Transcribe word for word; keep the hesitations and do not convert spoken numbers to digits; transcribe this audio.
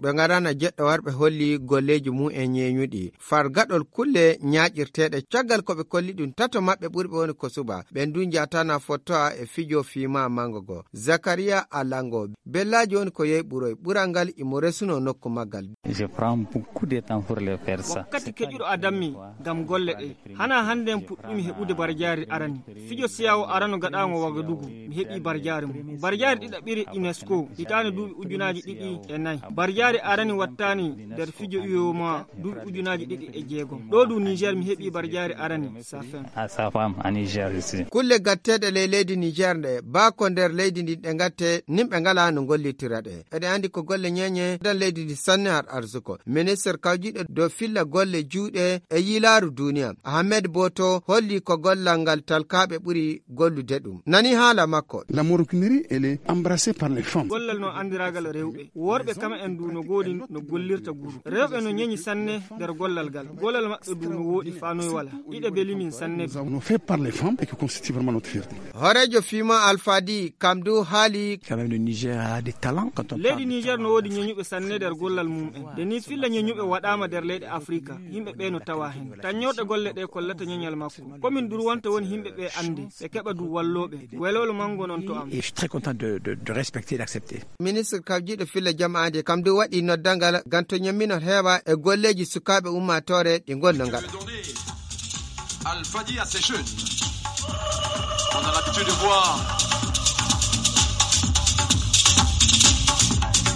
Ɓe ngarana jeɗɗo warɓe holli golleeji mum en ñeeñuɗi. Far gaɗol kulle ñaaƴirteeɗe caggal ko ɓe kolli ɗum, tato maɓɓe ɓurɓe woni ko suba. Ɓen du njaatana fottoa e fijo fiima mango go. Zakariya Alango, bellaaji woni ko yehi ɓuroy. Ɓural ngal imo resuno nokku maggal. Je prends beaucoup de temps pour le faire ça. Wakkati keƴuɗo adammi ngam golle ɗe. Hana hannde en puɗɗumi heɓude barjaari arani. Fijo siyawo arano gaɗaango Wagadugu, mi heɓi barjaari mum. Barjaari ɗiɗaɓiri UNESCO, hitaande duuɓi ujunaaji ɗiɗi e nayi. Barjaari arani wattaani nder fijo U E M O A duuɓi ujunaaji ɗiɗi e jeegom. Ɗo du Niger mi heɓi barjaari arani, Safen. À sa femme, à Niger ici. Kulle gatteeɗe ley leydi Niger nde, baa ko nder leydi ndi ɗe gatte, nimɓe ngalaa no ngollitira ɗe. Eɗen anndi ko golle ñeeñe dan leydi ndi sanne har arsuko. Ministre kawjiɗo dow filla golle juuɗe e yiilaaru duniya, Ahmed Boto holli ko gollal ngal talkaaɓe ɓuri gollude ɗum. Nani haala makko. La maroquinerie, elle est embrassée par les femmes. Gollal no andiraagal rewɓe. Worɓe kam en du no goodi no gollirta guru. Rewɓe no ñeñi sanne nder gollal ngal. Gollal maɓɓe du no wooɗi faa noy wala. Iɗe beli min sanne. Nous avons fait par les femmes et qui constitue vraiment notre fierté. Hooreejo fiima Alfadi kam du haali. Quand même, le Niger a des talents quand on parle de talent. Leydi Niger no woodi ñeñuɓe sanne nder gollal mum en. Nde ni filla ñeñuɓe waɗaama nder leyɗe Afrika, yimɓe ɓe no tawa hen. Tañorɗe golle ɗe kollata ñeñal makko. Komin durwanta woni yimɓe ɓe annde, ɓe keɓa du wallooɓe. Welwelo mango non to am. Et je suis très content de, de, de respecter et d'accepter. Ministre kawjiɗo filla jamaade kam du waɗi noddangal ngam to ñamminol heewa e golleeji sukaaɓe ummaatoore ɗi ngol no ngaɗa. Alfadi à ces jeunes. On a l'habitude de voir